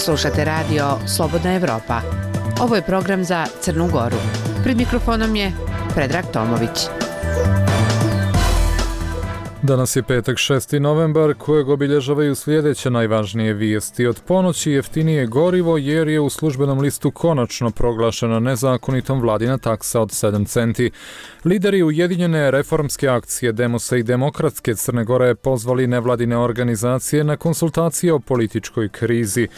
Slušate radio Slobodna Evropa. Ovo je program za Crnu Goru. Pred mikrofonom je Predrag Tomović. Danas je petak 6. novembar kojeg obilježavaju sljedeće najvažnije vijesti. Od ponoći jeftinije gorivo jer je u službenom listu konačno proglašena nezakonitom vladina taksa od 7 centi. Lideri Ujedinjene reformske akcije Demosa i Demokratske Crne Gore pozvali nevladine organizacije na konsultacije o političkoj krizi.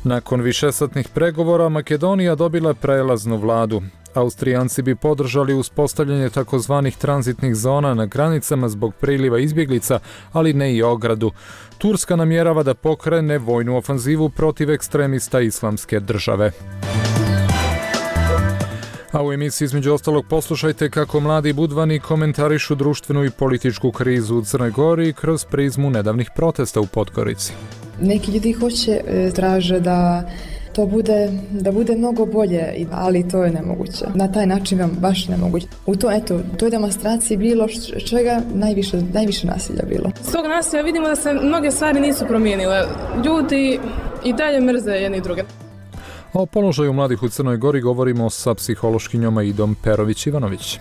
Nakon višesatnih pregovora Makedonija dobila prelaznu vladu. Austrijanci bi podržali uspostavljanje takozvanih tranzitnih zona na granicama zbog priliva izbjeglica, ali ne i ogradu. Turska namjerava da pokrene vojnu ofanzivu protiv ekstremista Islamske države. A u emisiji između ostalog poslušajte kako mladi budvani komentarišu društvenu i političku krizu u Crnoj Gori kroz prizmu nedavnih protesta u Podgorici. Neki ljudi traže da to bude mnogo bolje, ali to je nemoguće. Na taj način vam baš nemoguće. U toj demonstraciji bilo čega najviše nasilja bilo. S tog nasilja vidimo da se mnoge stvari nisu promijenile. Ljudi i dalje mrze jedni druge. O položaju mladih u Crnoj Gori govorimo sa psihološkinjom Idom Perović-Ivanović.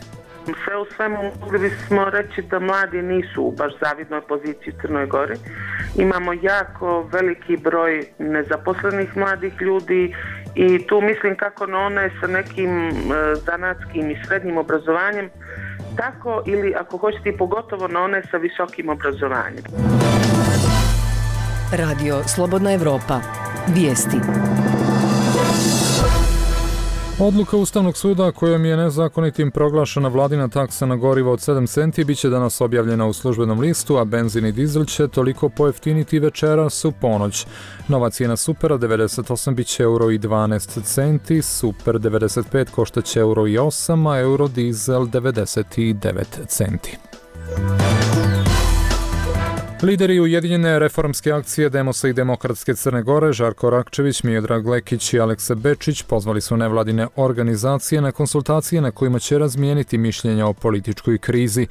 Sve u svemu mogli bismo reći da mladi nisu u baš zavidnoj poziciji u Crnoj Gori. Imamo jako veliki broj nezaposlenih mladih ljudi i tu mislim kako na one sa nekim zanatskim i srednjim obrazovanjem, tako ili ako hoćete i pogotovo na one sa visokim obrazovanjem. Radio Slobodna Evropa. Vijesti. Odluka Ustavnog suda kojom je nezakonitim proglašena vladina taksa na gorivo od 7 centi bit će danas objavljena u službenom listu, a benzin i dizel će toliko pojeftiniti večeras u ponoć. Nova cijena supera 98 bit će €1,12, super 95 koštaće €1,08, a eurodizel 99 centi. Lideri Ujedinjene reformske akcije Demosa i Demokratske Crne Gore, Žarko Rakčević, Miodrag Lekić i Aleksa Bečić pozvali su nevladine organizacije na konsultacije na kojima će razmijeniti mišljenja o političkoj krizi.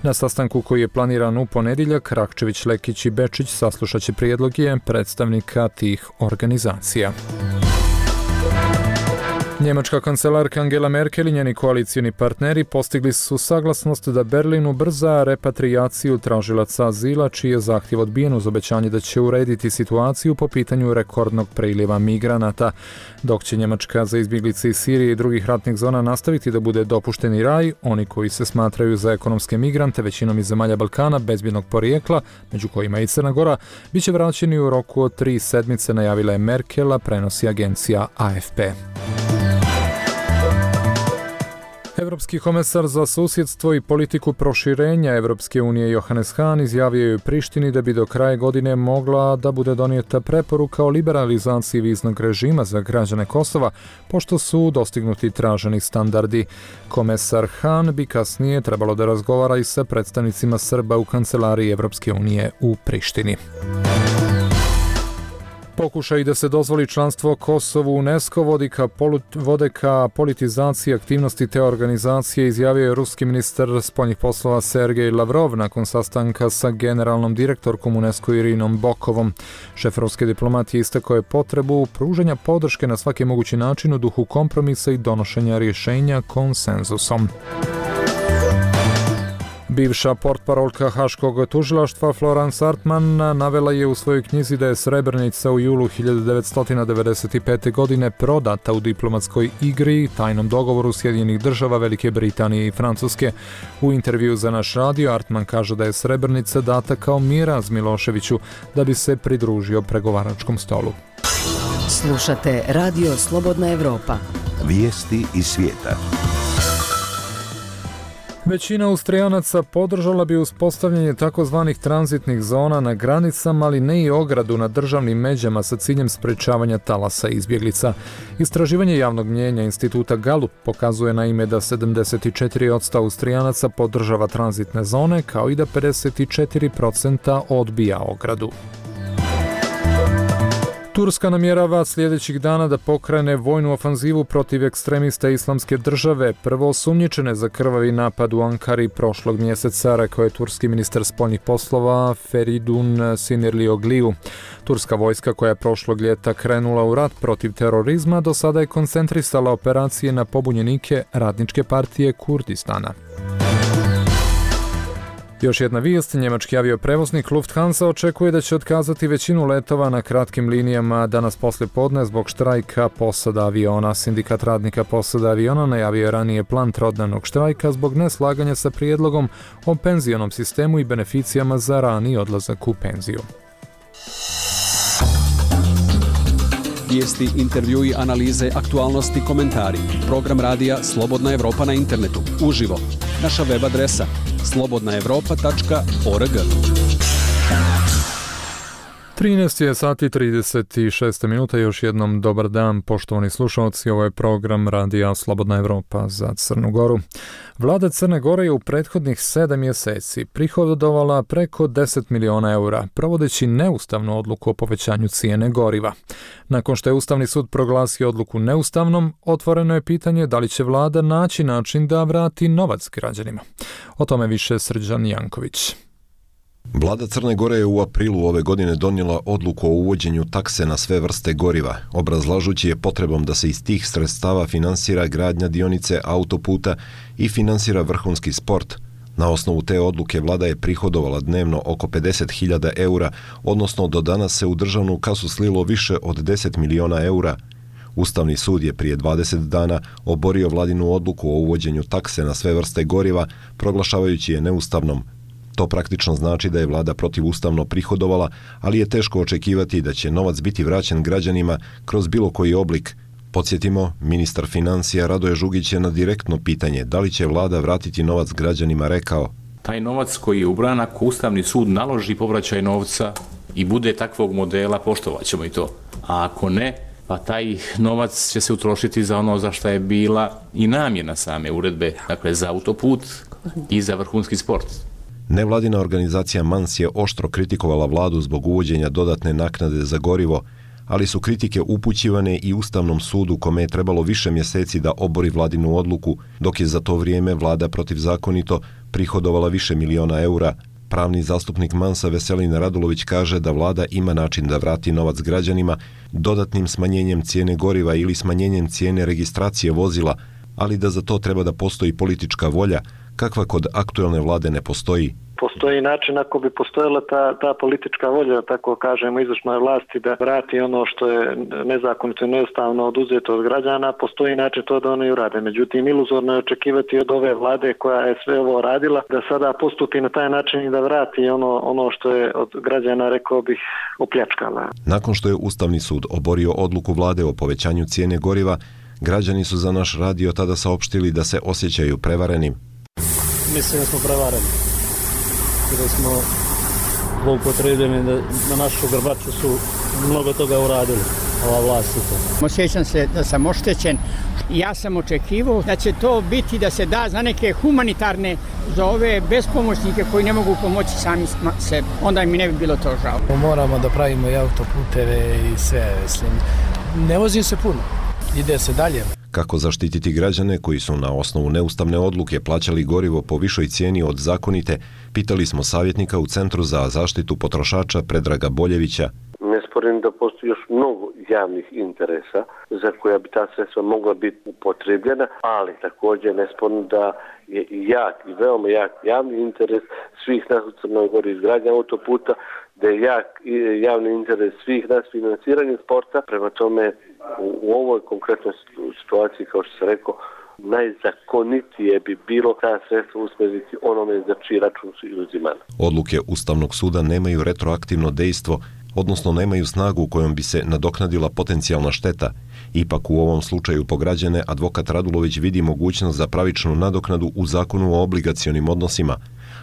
Na sastanku koji je planiran u ponedjeljak, Rakčević, Lekić i Bečić saslušat će prijedloge predstavnika tih organizacija. Njemačka kancelarka Angela Merkel i njeni koalicijni partneri postigli su saglasnost da Berlin ubrza repatrijaciju tražilaca azila, čiji je zahtjev odbijen uz obećanje da će urediti situaciju po pitanju rekordnog priliva migranata. Dok će Njemačka za izbjeglice iz Sirije i drugih ratnih zona nastaviti da bude dopušteni raj, oni koji se smatraju za ekonomske migrante, većinom iz zemalja Balkana, bezbjednog porijekla, među kojima i Crna Gora, bit će vraćeni u roku od 3 sedmice, najavila je Merkela, prenosi agencija AFP. Europski komesar za susjedstvo i politiku proširenja Europske unije Johannes Hahn izjavio je u Prištini da bi do kraja godine mogla da bude donijeta preporuka o liberalizaciji viznog režima za građane Kosova, pošto su dostignuti traženi standardi. Komesar Hahn bi kasnije trebalo da razgovara i sa predstavnicima Srba u kancelariji Europske unije u Prištini. Pokušaj da se dozvoli članstvo Kosovu u UNESCO vode ka politizaciji aktivnosti te organizacije, izjavio je ruski ministar spoljnih poslova Sergej Lavrov nakon sastanka sa generalnom direktorkom UNESCO Irinom Bokovom. Šef ruske diplomatije istakao je potrebu pružanja podrške na svaki mogući način u duhu kompromisa i donošenja rješenja konsenzusom. Bivša portparolka Haškog tužilaštva Florence Artman navela je u svojoj knjizi da je Srebrenica u julu 1995. godine prodata u diplomatskoj igri, tajnom dogovoru Sjedinjenih država, Velike Britanije i Francuske. U intervju za naš radio Artman kaže da je Srebrenica data kao miraz Miloševiću da bi se pridružio pregovaračkom stolu. Slušate Radio Slobodna Evropa. Vijesti iz svijeta. Većina Austrijanaca podržala bi uspostavljanje takozvanih tranzitnih zona na granicama, ali ne i ogradu na državnim međama sa ciljem sprečavanja talasa izbjeglica. Istraživanje javnog mnijenja instituta Gallup pokazuje naime da 74% Austrijanaca podržava tranzitne zone, kao i da 54% odbija ogradu. Turska namjerava sljedećih dana da pokrene vojnu ofanzivu protiv ekstremista Islamske države, prvo osumnjičene za krvavi napad u Ankari prošlog mjeseca, rekao je turski ministar spoljnih poslova Feridun Sinirlioglu. Turska vojska koja je prošlog ljeta krenula u rat protiv terorizma do sada je koncentrisala operacije na pobunjenike Radničke partije Kurdistana. Još jedna vijest, njemački avioprevoznik Lufthansa očekuje da će otkazati većinu letova na kratkim linijama danas poslijepodne zbog štrajka posada aviona. Sindikat radnika posada aviona najavio je ranije plan trodnevnog štrajka zbog neslaganja sa prijedlogom o penzionom sistemu i beneficijama za rani odlazak u penziju. Vijesti, intervjui, analize, aktualnosti, komentari. Program radija Slobodna Evropa na internetu. Uživo. Naša web adresa slobodnaevropa.org. 13 je sati 36 minuta, još jednom dobar dan poštovani slušalci, ovo je program radija Slobodna Evropa za Crnu Goru. Vlada Crne Gore je u prethodnih 7 mjeseci prihodovala preko 10 miliona eura, provodeći neustavnu odluku o povećanju cijene goriva. Nakon što je Ustavni sud proglasio odluku neustavnom, otvoreno je pitanje da li će vlada naći način da vrati novac građanima. O tome više Srđan Janković. Vlada Crne Gore je u aprilu ove godine donijela odluku o uvođenju takse na sve vrste goriva, obrazlažući je potrebom da se iz tih sredstava finansira gradnja dionice autoputa i finansira vrhunski sport. Na osnovu te odluke vlada je prihodovala dnevno oko 50.000 eura, odnosno do danas se u državnu kasu slilo više od 10 miliona eura. Ustavni sud je prije 20 dana oborio vladinu odluku o uvođenju takse na sve vrste goriva, proglašavajući je neustavnom. To praktično znači da je vlada protivustavno prihodovala, ali je teško očekivati da će novac biti vraćen građanima kroz bilo koji oblik. Podsjetimo, ministar financija Radoje Žugić je na direktno pitanje da li će vlada vratiti novac građanima rekao: taj novac koji je ubran, ako Ustavni sud naloži povraćaj novca i bude takvog modela, poštovat ćemo i to. A ako ne, pa taj novac će se utrošiti za ono za što je bila i namjena same uredbe, dakle za autoput i za vrhunski sport. Nevladina organizacija MANS je oštro kritikovala vladu zbog uvođenja dodatne naknade za gorivo, ali su kritike upućivane i Ustavnom sudu kome je trebalo više mjeseci da obori vladinu odluku, dok je za to vrijeme vlada protivzakonito prihodovala više miliona eura. Pravni zastupnik MANS-a Veselin Radulović kaže da vlada ima način da vrati novac građanima dodatnim smanjenjem cijene goriva ili smanjenjem cijene registracije vozila, ali da za to treba da postoji politička volja, kakva kod aktuelne vlade ne postoji. Postoji način ako bi postojala ta politička volja, tako kažemo, izvršnoj vlasti da vrati ono što je nezakonito i neustavno oduzeto od građana, postoji način to da oni urade. Međutim, iluzorno je očekivati od ove vlade koja je sve ovo radila da sada postupi na taj način i da vrati ono što je od građana, rekao bih, opljačkala. Nakon što je Ustavni sud oborio odluku vlade o povećanju cijene goriva, građani su za naš radio tada saopštili da se osjećaju prevarenim. Mislim da smo prevareni. Da smo zloupotrebljeni, da na našu grbaču su mnogo toga uradili, ova vlast. Osjećam se da sam oštećen. Ja sam očekivao da će to biti da se da za neke humanitarne, za ove bespomoćnike koji ne mogu pomoći sami sebi. Onda mi ne bi bilo to žao. Moramo da pravimo i autoputeve i sve, mislim. Ne vozim se puno, ide se dalje. Kako zaštititi građane koji su na osnovu neustavne odluke plaćali gorivo po višoj cijeni od zakonite, pitali smo savjetnika u Centru za zaštitu potrošača Predraga Boljevića. Ne sporim da postoji još mnogo javnih interesa za koja bi ta sredstva mogla biti upotrebljena, ali također ne sporim da je jak i veoma jak javni interes svih nas u Crnoj Gori izgradnja autoputa, da je jak javni interes svih nas financiranje sporta. Prema tome, u ovoj konkretnoj situaciji, kao što sam rekao, najzakonitije bi bilo ta sredstva usmjeriti onome za čiji račun su uzimane. Odluke Ustavnog suda nemaju retroaktivno dejstvo, odnosno nemaju snagu kojom bi se nadoknadila potencijalna šteta. Ipak u ovom slučaju po građane advokat Radulović vidi mogućnost za pravičnu nadoknadu u zakonu o obligacionim odnosima,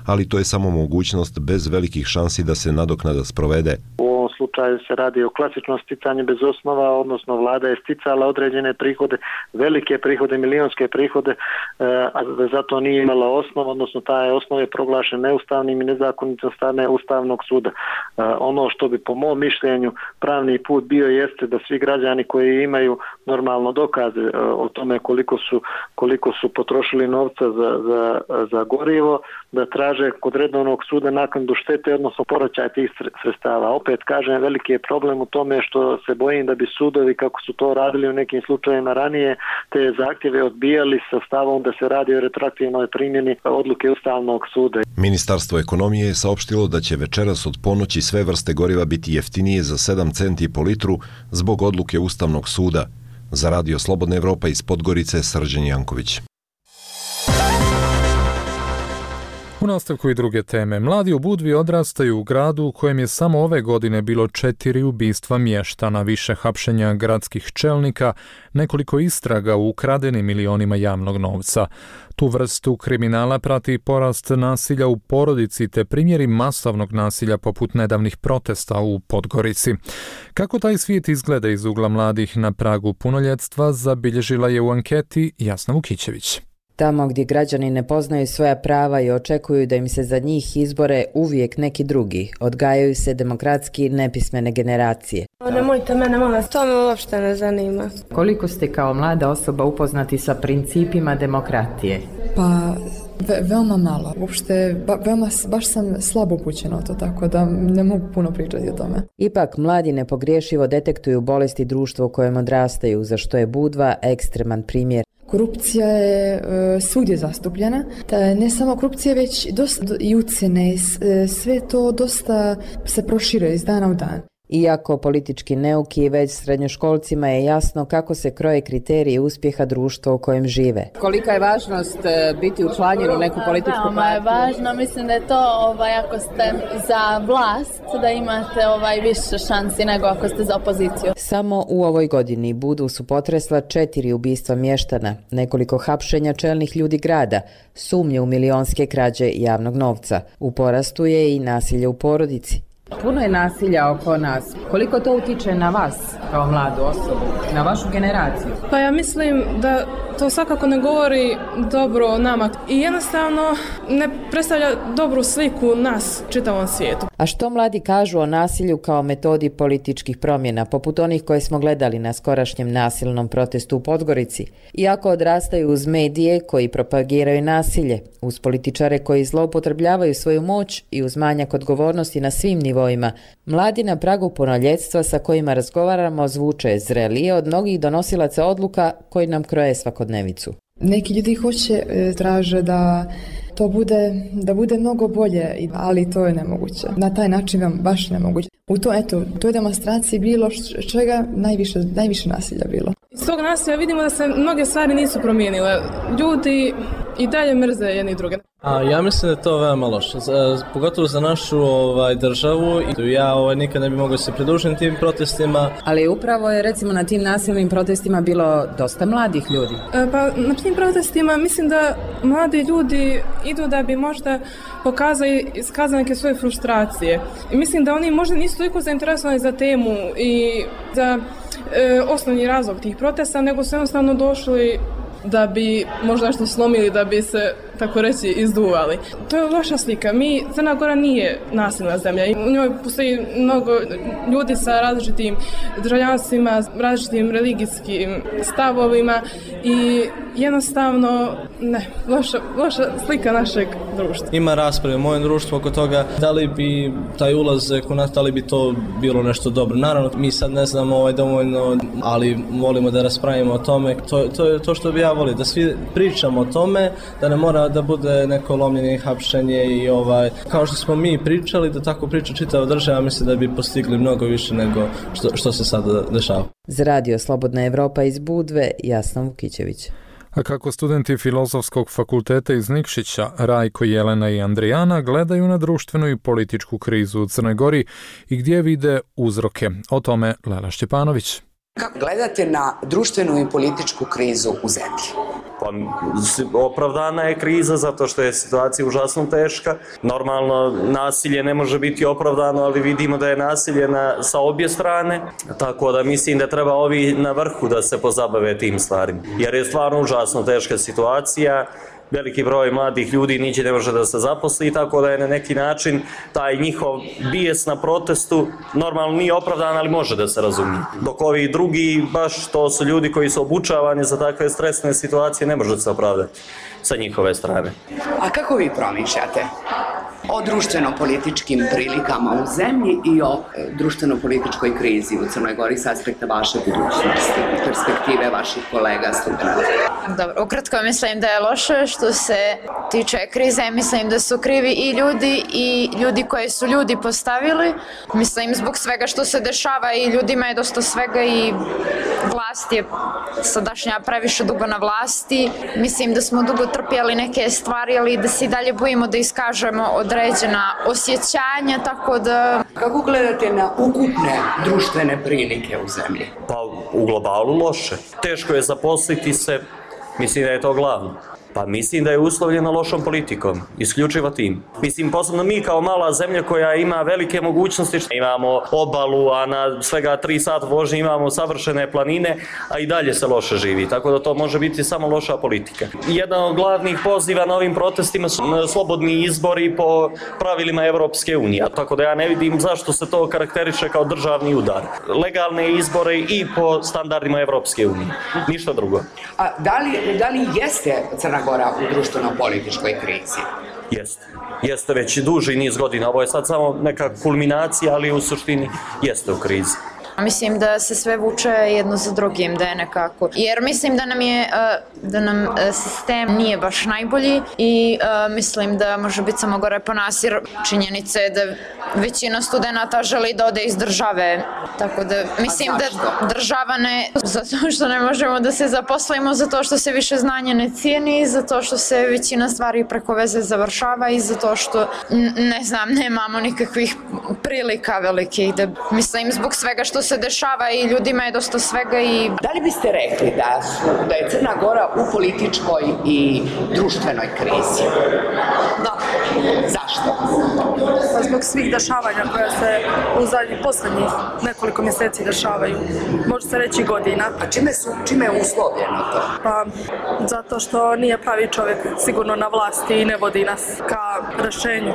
ali to je samo mogućnost bez velikih šansi da se nadoknada sprovede. U ovom slučaju slučaju se radi o klasičnom sticanju bez osnova, odnosno vlada je sticala određene prihode, velike prihode, milionske prihode, a zato nije imala osnov, odnosno taj osnov je proglašen neustavnim i nezakonitim strane Ustavnog suda. Ono što bi po mom mišljenju pravni put bio jeste da svi građani koji imaju normalno dokaze o tome koliko su potrošili novca za gorivo, da traže kod redovnog suda naknadu štete, odnosno povraćaj tih sredstava. Opet kažem, veliki je problem u tome što se bojim da bi sudovi, kako su to radili u nekim slučajevima ranije, te zahtjeve odbijali sa stavom da se radi o retroaktivnoj primjeni odluke Ustavnog suda. Ministarstvo ekonomije je saopštilo da će večeras od ponoći sve vrste goriva biti jeftinije za 7 centi po litru zbog odluke Ustavnog suda. Za Radio Slobodna Evropa iz Podgorice, Srđan Janković. U nastavku i druge teme. Mladi u Budvi odrastaju u gradu u kojem je samo ove godine bilo 4 ubistva mještana, više hapšenja gradskih čelnika, nekoliko istraga u ukradenim milionima javnog novca. Tu vrstu kriminala prati porast nasilja u porodici te primjeri masovnog nasilja poput nedavnih protesta u Podgorici. Kako taj svijet izgleda iz ugla mladih na pragu punoljetstva, zabilježila je u anketi Jasna Vukićević. Tamo gdje građani ne poznaju svoja prava i očekuju da im se za njih izbore uvijek neki drugi, odgajaju se demokratski nepismene generacije. Nemojte mene, molim vas, to me uopšte ne zanima. Koliko ste kao mlada osoba upoznati sa principima demokratije? Pa, veoma malo. Uopšte, baš sam slabo upućena o to, tako da ne mogu puno pričati o tome. Ipak, mladi nepogriješivo detektuju bolesti društva u kojem odrastaju, za što je Budva ekstreman primjer. Korupcija je svugdje zastupljena. Ne samo korupcija, već dosta i ucjene, sve to dosta se proširuje iz dana u dan. Iako politički neuki, već srednjoškolcima je jasno kako se kroje kriteriji uspjeha društva u kojem žive. Kolika je važnost biti učlanjen u neku političku partiju? Veoma je važno, mislim da je to ako ste za vlast, da imate više šansi nego ako ste za opoziciju. Samo u ovoj godini Budu su potresla 4 ubistva mještana, nekoliko hapšenja čelnih ljudi grada, sumnje u milionske krađe javnog novca. U porastu je i nasilje u porodici. Puno je nasilja oko nas. Koliko to utiče na vas kao mladu osobu, na vašu generaciju? Pa ja mislim da to svakako ne govori dobro o nama i jednostavno ne predstavlja dobru sliku nas čitavom svijetu. A što mladi kažu o nasilju kao metodi političkih promjena, poput onih koje smo gledali na skorašnjem nasilnom protestu u Podgorici? Iako odrastaju uz medije koji propagiraju nasilje, uz političare koji zloupotrebljavaju svoju moć i uz manjak odgovornosti na svim nivoima, mladi na pragu punoljetstva sa kojima razgovaramo zvuče zrelije od mnogih donosilaca odluka koji nam kroje svakodnevicu. Neki ljudi traže da to bude mnogo bolje, ali to je nemoguće. Na taj način vam baš nemoguće. U toj demonstraciji bilo čega najviše nasilja bilo. Iz tog nasilja vidimo da se mnoge stvari nisu promijenile. Ljudi i dalje mrze jedni druge. Ja mislim da je to veoma loše, pogotovo za našu državu. Ja nikad ne bi mogao se pridružiti tim protestima. Ali upravo je recimo na tim nasilnim protestima bilo dosta mladih ljudi. Pa na tim protestima mislim da mladi ljudi idu da bi možda iskazali neke svoje frustracije. I mislim da oni možda nisu toliko zainteresovani za temu i za osnovni razlog tih protesta, nego su jednostavno došli da bi možda što slomili, da bi se, tako reći, izduvali. To je loša slika. Crna Gora nije nasilna zemlja. U njoj postoji mnogo ljudi sa različitim državljanstvima, različitim religijskim stavovima i jednostavno loša slika našeg društva. Ima rasprave u mojem društvu oko toga da li bi taj ulazak u nas, da li bi to bilo nešto dobro. Naravno, mi sad ne znamo dovoljno, ali volimo da raspravimo o tome. To je to što bi ja volio, da svi pričamo o tome, da ne mora da bude neko lomljenje i hapšenje i kao što smo mi pričali, da tako priča čitava država, mislim da bi postigli mnogo više nego što se sada dešava. Za Radio Slobodna Evropa iz Budve, Jasna Vukićević. A kako studenti Filozofskog fakulteta iz Nikšića, Rajko, Jelena i Andrijana, gledaju na društvenu i političku krizu u Crnoj Gori i gdje vide uzroke? O tome Lela Šćepanović. Kako gledate na društvenu i političku krizu u zemlji? Pa Pa, opravdana je kriza zato što je situacija užasno teška. Normalno, nasilje ne može biti opravdano, ali vidimo da je nasilje sa obje strane, tako da mislim da treba ovi na vrhu da se pozabave tim stvarima. Jer je stvarno užasno teška situacija, veliki broj mladih ljudi niđe ne može da se zaposli, tako da je na neki način taj njihov bijes na protestu normalno nije opravdan, ali može da se razumije. Dok ovi drugi, baš to su ljudi koji su obučavani za takve stresne situacije, ne može se opravdati sa njihove strane. A kako vi promišljate o društveno-političkim prilikama u zemlji i o društveno-političkoj krizi u Crnoj Gori s aspekta vaše budućnosti, perspektive vaših kolega, studenata? Dobro, ukratko mislim da je loše što se tiče krize, mislim da su krivi i ljudi koji su ljudi postavili. Mislim zbog svega što se dešava i ljudima je dosta svega i vlast je sadašnja previše dugo na vlasti. Mislim da smo dugo trpjeli neke stvari, ali da se i dalje bojimo da iskažemo određena osjećanja, tako da... Kako gledate na ukupne društvene prilike u zemlji? Pa u globalu loše. Teško je zaposliti se, mislim da je to glavno. Pa mislim da je uslovljeno lošom politikom, isključivo tim. Mislim, posebno mi kao mala zemlja koja ima velike mogućnosti, imamo obalu, a na svega 3 sata vožnje imamo savršene planine, a i dalje se loše živi, tako da to može biti samo loša politika. Jedan od glavnih poziva na ovim protestima su slobodni izbori po pravilima Evropske unije, tako da ja ne vidim zašto se to karakteriše kao državni udar. Legalne izbore i po standardima Evropske unije, ništa drugo. A da li jeste Crna Gora u društveno-političkoj krizi? Jeste već duži niz godina, ovo je sad samo neka kulminacija, ali u suštini jeste u krizi. Mislim da se sve vuče jedno za drugim, da je nekako. Jer mislim da nam sistem nije baš najbolji i mislim da može biti samo gore po nas, jer činjenica je da većina studenata želi da ode iz države. Tako da mislim da država ne, zato što ne možemo da se zaposlimo, zato što se više znanja ne cijeni, zato što se većina stvari preko veze završava i zato što, ne znam, nemamo nikakvih prilika velikih. Mislim, zbog svega što se dešava i ljudima je dosta svega i... Da li biste rekli da je Crna Gora u političkoj i društvenoj krizi? Da. Zašto? Pa zbog svih dešavanja koja se u posljednjih nekoliko mjeseci dešavaju. Može se reći godina. A čime je uslovljeno to? Pa zato što nije pravi čovjek sigurno na vlasti i ne vodi nas ka rješenju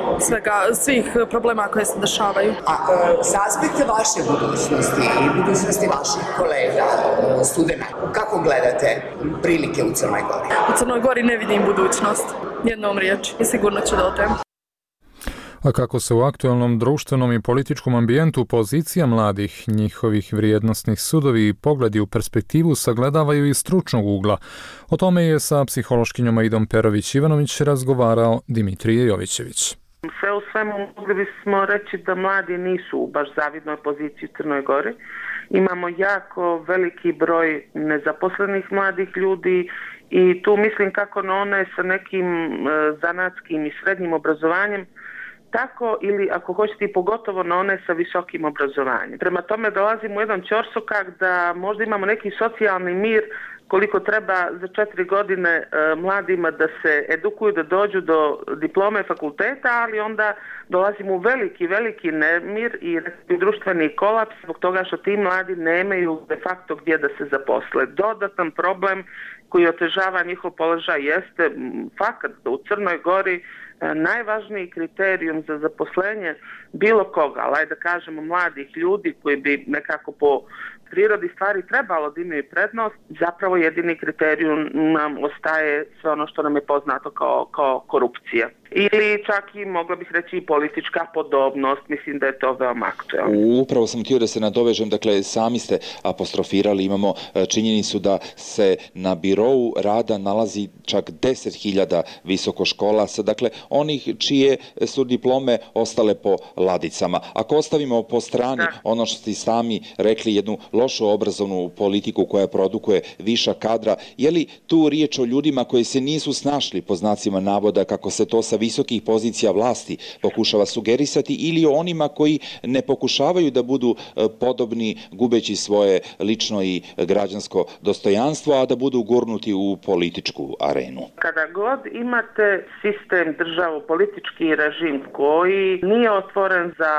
svih problema koje se dešavaju. A sa aspekta vaše budućnosti i budućnosti vaših kolega, studenata, kako gledate prilike u Crnoj Gori? U Crnoj Gori ne vidim budućnost, jednom riječi, i sigurno će da odem. A kako se u aktualnom društvenom i političkom ambijentu pozicija mladih, njihovih vrijednosnih sudovi i pogledi u perspektivu sagledavaju iz stručnog ugla. O tome je sa psihološkinjom Aidom Perović-Ivanović razgovarao Dimitrije Jovićević. Sve u svemu mogli bismo reći da mladi nisu u baš zavidnoj poziciji u Crnoj Gori. Imamo jako veliki broj nezaposlenih mladih ljudi i tu mislim kako na one sa nekim zanatskim i srednjim obrazovanjem, tako ili ako hoćete i pogotovo na one sa visokim obrazovanjem. Prema tome dolazimo u jedan ćorsokak da možda imamo neki socijalni mir koliko treba za 4 godine mladima da se edukuju, da dođu do diplome fakulteta, ali onda dolazimo u veliki nemir i društveni kolaps zbog toga što ti mladi nemaju de facto gdje da se zaposle. Dodatan problem koji otežava njihov položaj jeste fakat da u Crnoj Gori najvažniji kriterijum za zaposlenje bilo koga, ali da kažemo mladih ljudi koji bi nekako po prirodi stvari trebalo da imaju prednost, zapravo jedini kriterijum nam ostaje sve ono što nam je poznato kao korupcija. Ili čak i, mogla bih reći, i politička podobnost, mislim da je to veoma aktualno. Upravo sam htio da se nadovežem, dakle, sami ste apostrofirali, imamo činjenicu da se na birou rada nalazi čak 10.000 visokoškolaca, dakle, onih čije su diplome ostale po ladicama. Ako ostavimo po strani ono što ste sami rekli, jednu lošu obrazovnu politiku koja produkuje viša kadra, je li tu riječ o ljudima koji se nisu snašli po znacima navoda kako se to sa visokih pozicija vlasti pokušava sugerisati, ili o onima koji ne pokušavaju da budu podobni gubeći svoje lično i građansko dostojanstvo, a da budu gurnuti u političku arenu? Kada god imate sistem, državu, politički režim koji nije otvoren za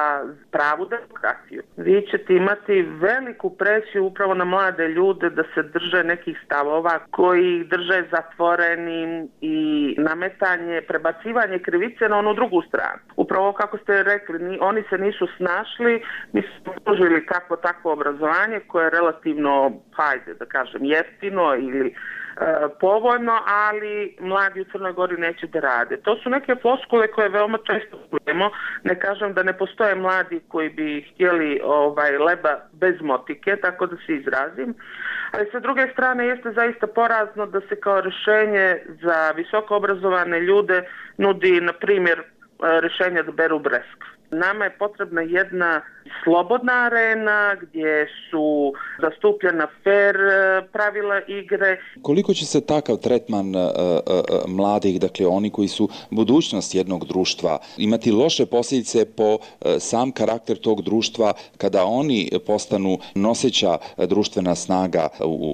pravu demokraciju, vi ćete imati veliku presiju upravo na mlade ljude da se drže nekih stavova koji ih drže zatvorenim i nametanje, prebacivanje krivice na onu drugu stranu. Upravo kako ste rekli, oni se nisu snašli, mi smo pružili takvo obrazovanje koje je relativno, hajde da kažem, jeftino ili povoljno, ali mladi u Crnoj Gori neće da rade. To su neke floskule koje veoma često čujemo. Ne kažem da ne postoje mladi koji bi htjeli leba bez motike, tako da se izrazim. Ali sa druge strane jeste zaista porazno da se kao rješenje za visoko obrazovane ljude nudi, na primjer, rješenje da beru breskvu. Nama je potrebna jedna slobodna arena gdje su zastupljena fair pravila igre. Koliko će se takav tretman mladih, dakle oni koji su budućnost jednog društva, imati loše posljedice po sam karakter tog društva kada oni postanu noseća društvena snaga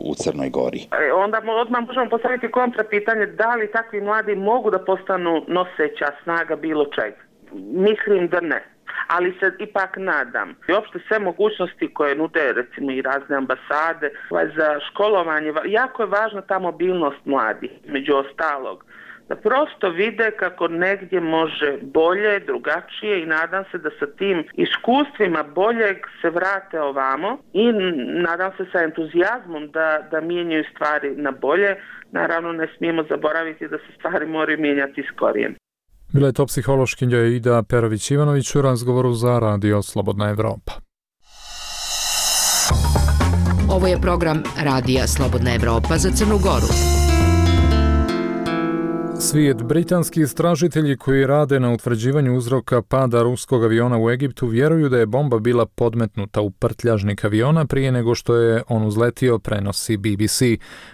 u Crnoj Gori? Onda odmah možemo postaviti kontra pitanje da li takvi mladi mogu da postanu noseća snaga bilo čega. Mislim da ne, ali se ipak nadam. I uopšte sve mogućnosti koje nude, recimo i razne ambasade za školovanje, jako je važna ta mobilnost mladih, među ostalog. Da prosto vide kako negdje može bolje, drugačije i nadam se da sa tim iskustvima boljeg se vrate ovamo i nadam se sa entuzijazmom da mijenjaju stvari na bolje. Naravno ne smijemo zaboraviti da se stvari moraju mijenjati s korijenom. Bila je to psihološkinja Ida Perović-Ivanović u razgovoru za Radio Slobodna Evropa. Ovo je program Radija Slobodna Evropa za Crnu Goru. Svijet. Britanski istražitelji koji rade na utvrđivanju uzroka pada ruskog aviona u Egiptu vjeruju da je bomba bila podmetnuta u prtljažnik aviona prije nego što je on uzletio, prenosi BBC.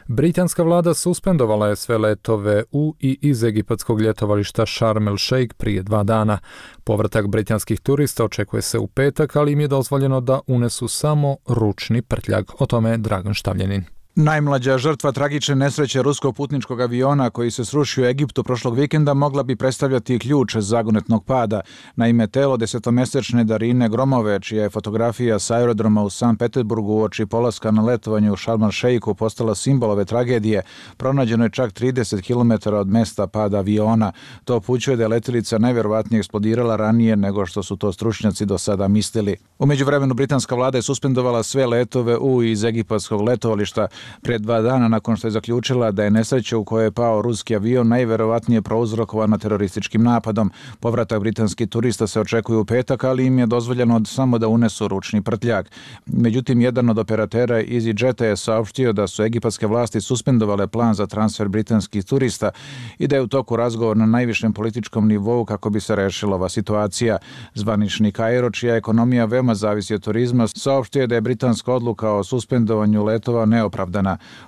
Britanska vlada suspendovala je sve letove u i iz egipatskog ljetovališta Sharm el Sheikh prije 2 dana. Povratak britanskih turista očekuje se u petak, ali im je dozvoljeno da unesu samo ručni prtljag. O tome je Dragan Štavljanin. Najmlađa žrtva tragične nesreće ruskog putničkog aviona koji se srušio u Egiptu prošlog vikenda mogla bi predstavljati ključ zagonetnog pada. Naime, telo 10-mjesečne Darine Gromove, čija je fotografija s aerodroma u Sankt Petersburgu uoči polaska na letovanje u Sharm el Sheikhu postala simbol ove tragedije, pronađeno je čak 30 km od mesta pada aviona. To upućuje da je letjelica najvjerovatnije eksplodirala ranije nego što su to stručnjaci do sada mislili. U međuvremenu britanska vlada je suspendovala sve letove u i iz egipatskog letovališta pred 2 dana nakon što je zaključila da je nesreća u kojoj je pao ruski avion najvjerovatnije prouzrokovana terorističkim napadom. Povratak britanskih turista se očekuje u petak, ali im je dozvoljeno samo da unesu ručni prtljag. Međutim, jedan od operatera EasyJeta je saopštio da su egipatske vlasti suspendovale plan za transfer britanskih turista i da je u toku razgovor na najvišem političkom nivou kako bi se rešila ova situacija. Zvanični Kairo, čija ekonomija veoma zavisi od turizma, saopštio je da je britanska odluka o suspendovanju letova neopravdana.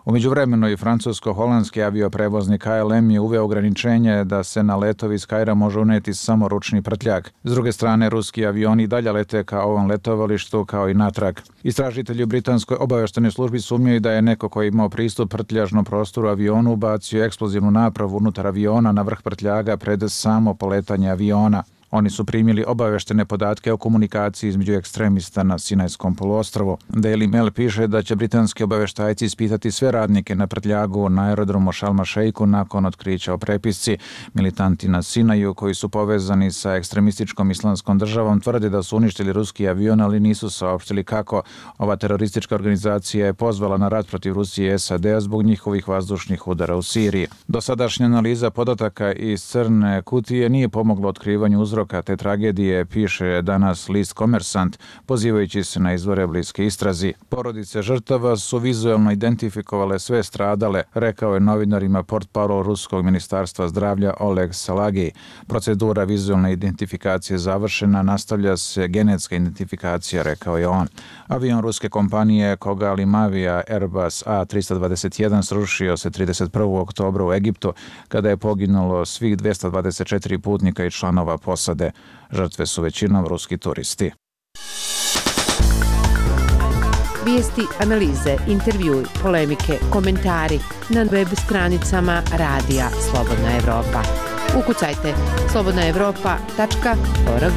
U međuvremenu i francusko-holandski avioprevoznik KLM je uveo ograničenje da se na letovi iz Kaira može uneti samo ručni prtljag. S druge strane, ruski avioni i dalje lete ka ovom letovalištu kao i natrag. Istražitelji u britanskoj obavještajnoj službi sumnjaju da je neko koji imao pristup prtljažnom prostoru avionu ubacio eksplozivnu napravu unutar aviona na vrh prtljaga pred samo poletanje aviona. Oni su primili obavještene podatke o komunikaciji između ekstremista na Sinajskom poluostrvu. Daily Mail piše da će britanski obavještajci ispitati sve radnike na prtljagu na aerodromu Sharm el Sheikhu nakon otkrića o prepisci. Militanti na Sinaju koji su povezani sa ekstremističkom islamskom državom tvrde da su uništili ruski avion, ali nisu saopštili kako. Ova teroristička organizacija je pozvala na rat protiv Rusije i SAD-a zbog njihovih vazdušnih udara u Siriji. Dosadašnja analiza podataka iz crne kutije nije pomogla otkrivanju uzroka uzroka te tragedije piše danas list Komersant, pozivajući se na izvore bliske istrazi. Porodice žrtava su vizualno identifikovale sve stradale, rekao je novinarima portparol Ruskog ministarstva zdravlja Oleg Salagi. Procedura vizualne identifikacije završena, nastavlja se genetska identifikacija, rekao je on. Avion ruske kompanije Koga Limavia Airbus A321 srušio se 31. oktobra u Egiptu, kada je poginulo svih 224 putnika i članova posade. Žrtve su većinom ruski turisti. Vijesti, analize, intervjui, polemike, komentari na web stranicama Radija Slobodna Evropa. Ukucajte slobodnaevropa.org.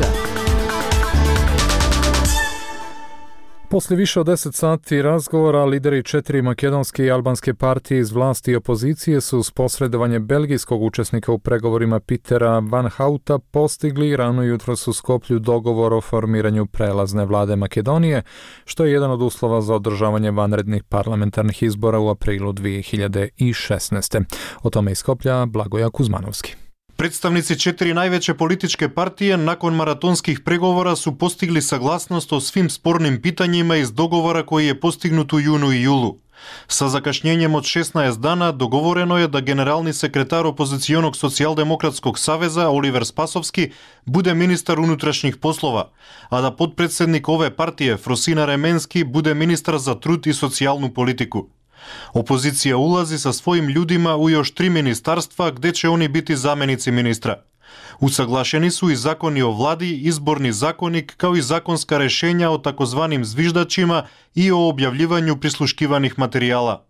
Poslije više od 10 sati razgovora, lideri 4 makedonske i albanske partije iz vlasti i opozicije su uz posredovanje belgijskog učesnika u pregovorima Petera Van Houta postigli rano jutros u Skoplju dogovor o formiranju prelazne vlade Makedonije, što je jedan od uslova za održavanje vanrednih parlamentarnih izbora u aprilu 2016. O tome iz Skoplja Blagoja Kuzmanovski. Predstavnici 4 najveće političke partije nakon maratonskih pregovora su postigli saglasnost o svim spornim pitanjima iz dogovora koji je postignut u junu i julu. Sa zakašnjenjem od 16 dana dogovoreno je da generalni sekretar opozicionog socijaldemokratskog saveza Oliver Spasovski bude ministar unutrašnjih poslova, a da potpredsjednik ove partije Frosina Remenski bude ministar za trud i socijalnu politiku. Opozicija ulazi sa svojim ljudima u još 3 ministarstva gdje će oni biti zamjenici ministra. Usaglašeni su i zakoni o vladi, izborni zakonik kao i zakonska rješenja o takozvanim zviždačima i o objavljivanju prisluškivanih materijala.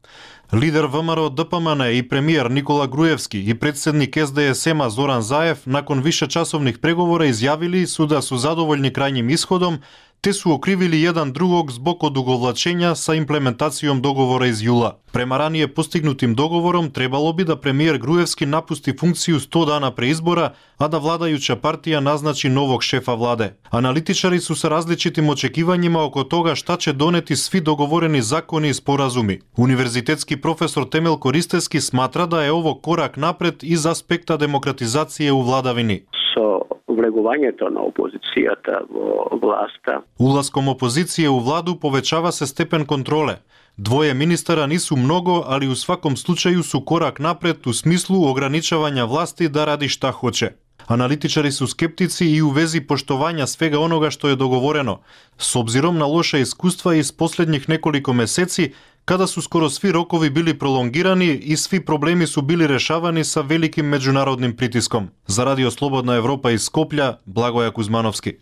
Lider VMRO DPMN i premijer Nikola Grujevski i predsjednik SDSM-a Zoran Zaev nakon višečasovnih pregovora izjavili su da su zadovoljni krajnjim ishodom, te su okrivili jedan drugog zbog odugovlačenja sa implementacijom dogovora iz jula. Prema ranije postignutim dogovorom trebalo bi da premijer Grujevski napusti funkciju 100 dana pre izbora, a da vladajuća partija naznači novog šefa vlade. Analitičari su sa različitim očekivanjima oko toga šta će doneti svi dogovoreni zakoni i sporazumi. Univerzitetski profesor Temel Koristeski smatra da je ovo korak napred iz aspekta demokratizacije u vladavini. Vlegovanjem na opozicijata vlasta. Ulaskom opozicije u vladu povećava se stepen kontrole. 2 ministara nisu mnogo, ali u svakom slučaju su korak napred u smislu ograničavanja vlasti da radi šta hoće. Analitičari su skeptici i u vezi poštovanja svega onoga što je dogovoreno, s obzirom na loša iskustva iz posljednjih nekoliko meseci, kada su skoro svi rokovi bili prolongirani i svi problemi su bili rešavani sa velikim međunarodnim pritiskom. Za Radio Slobodna Evropa iz Skoplja, Blagoja Kuzmanovski.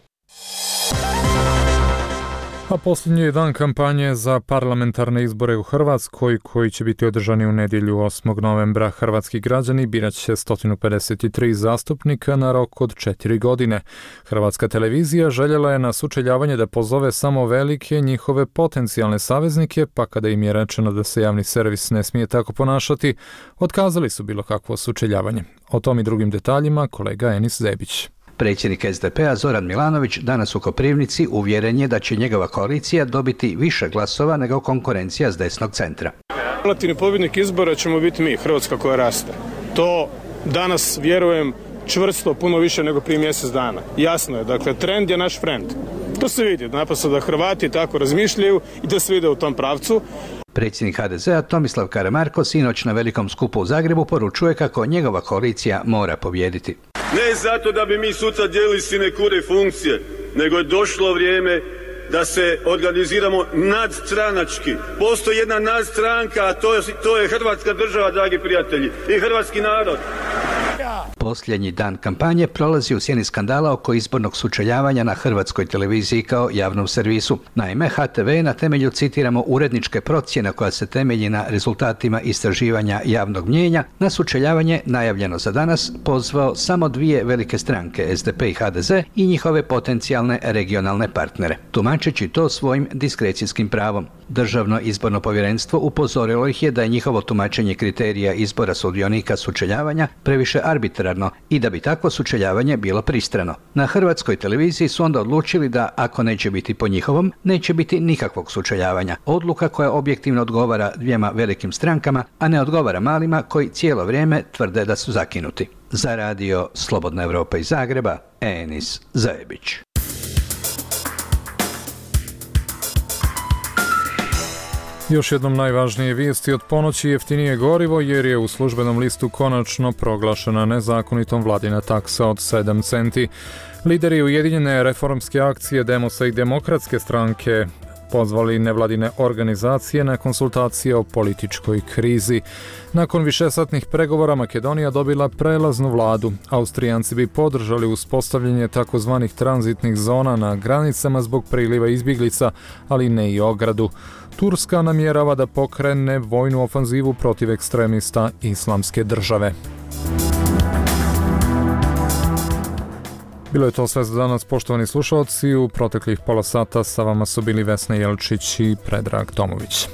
A posljednji je dan kampanje za parlamentarne izbore u Hrvatskoj, koji će biti održani u nedjelju 8. novembra. Hrvatski građani birat će 153 zastupnika na rok od 4 godine. Hrvatska televizija željela je na sučeljavanje da pozove samo velike njihove potencijalne saveznike, pa kada im je rečeno da se javni servis ne smije tako ponašati, otkazali su bilo kakvo sučeljavanje. O tom i drugim detaljima kolega Enis Zebić. Predsjednik SDP-a Zoran Milanović danas u Koprivnici uvjeren je da će njegova koalicija dobiti više glasova nego konkurencija s desnog centra. Relativni pobjednik izbora ćemo biti mi, Hrvatska koja raste. To danas, vjerujem, čvrsto puno više nego prije mjesec dana. Jasno je, dakle, trend je naš frend. To se vidi, naprosto da Hrvati tako razmišljaju i da se vide u tom pravcu. Predsjednik HDZ-a Tomislav Karamarko sinoć na velikom skupu u Zagrebu poručuje kako njegova koalicija mora pobijediti. Ne zato da bi mi sutra dijelili sinekure funkcije, nego je došlo vrijeme da se organiziramo nadstranački. Postoji jedna nadstranka, a to je Hrvatska država, dragi prijatelji, i hrvatski narod. Posljednji dan kampanje prolazi u sjeni skandala oko izbornog sučeljavanja na Hrvatskoj televiziji kao javnom servisu. Naime, HTV je na temelju, citiramo, uredničke procjene koja se temelji na rezultatima istraživanja javnog mnijenja, na sučeljavanje najavljeno za danas pozvao samo 2 velike stranke, SDP i HDZ, i njihove potencijalne regionalne partnere, tumačeći to svojim diskrecijskim pravom. Državno izborno povjerenstvo upozorilo ih je da je njihovo tumačenje kriterija izbora sudionika sučeljavanja previše arbitrarno i da bi takvo sučeljavanje bilo pristrano. Na Hrvatskoj televiziji su onda odlučili da, ako neće biti po njihovom, neće biti nikakvog sučeljavanja. Odluka koja objektivno odgovara 2 velikim strankama, a ne odgovara malima koji cijelo vrijeme tvrde da su zakinuti. Za radio Slobodna Evropa iz Zagreba, Enis Zajebić. Još jednom najvažnije vijesti od ponoći: jeftinije gorivo jer je u službenom listu konačno proglašena nezakonitom vladina taksa od 7 centi. Lideri Ujedinjene reformske akcije Demosa i Demokratske stranke pozvali nevladine organizacije na konsultacije o političkoj krizi. Nakon višesatnih pregovora Makedonija dobila prelaznu vladu. Austrijanci bi podržali uspostavljanje takozvanih tranzitnih zona na granicama zbog priliva izbjeglica, ali ne i ogradu. Turska namjerava da pokrene vojnu ofanzivu protiv ekstremista Islamske države. Bilo je to sve za danas, poštovani slušalci. U proteklih pola sata sa vama su bili Vesna Jelčić i Predrag Tomović.